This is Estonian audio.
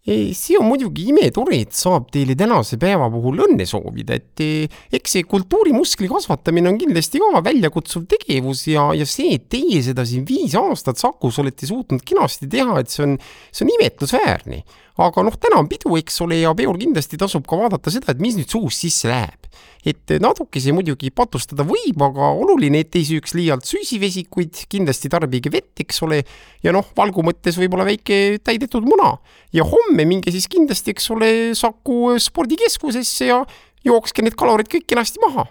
See on muidugi imetore, et saab teile tänase päeva puhul õnne soovida, et eks see kultuurimuskli kasvatamine on kindlasti ka väljakutsuv tegevus ja see, et teie seda siin 5 aastat Sakus olete suutnud kenasti teha, et see on imetlusväärne. Aga täna on pidu, eks ole, ja peol kindlasti tasub ka vaadata seda, et mis nüüd suus sisse läheb. Et natuke see muidugi patustada võib, aga oluline, et ei süüks liialt süsivesikuid, kindlasti tarbige vett, eks ole, ja valgu mõttes võib-olla väike täidetud muna. Ja homme minge siis kindlasti, eks ole, Saku spordikeskusesse ja jookske need kalorid kõik kenasti maha.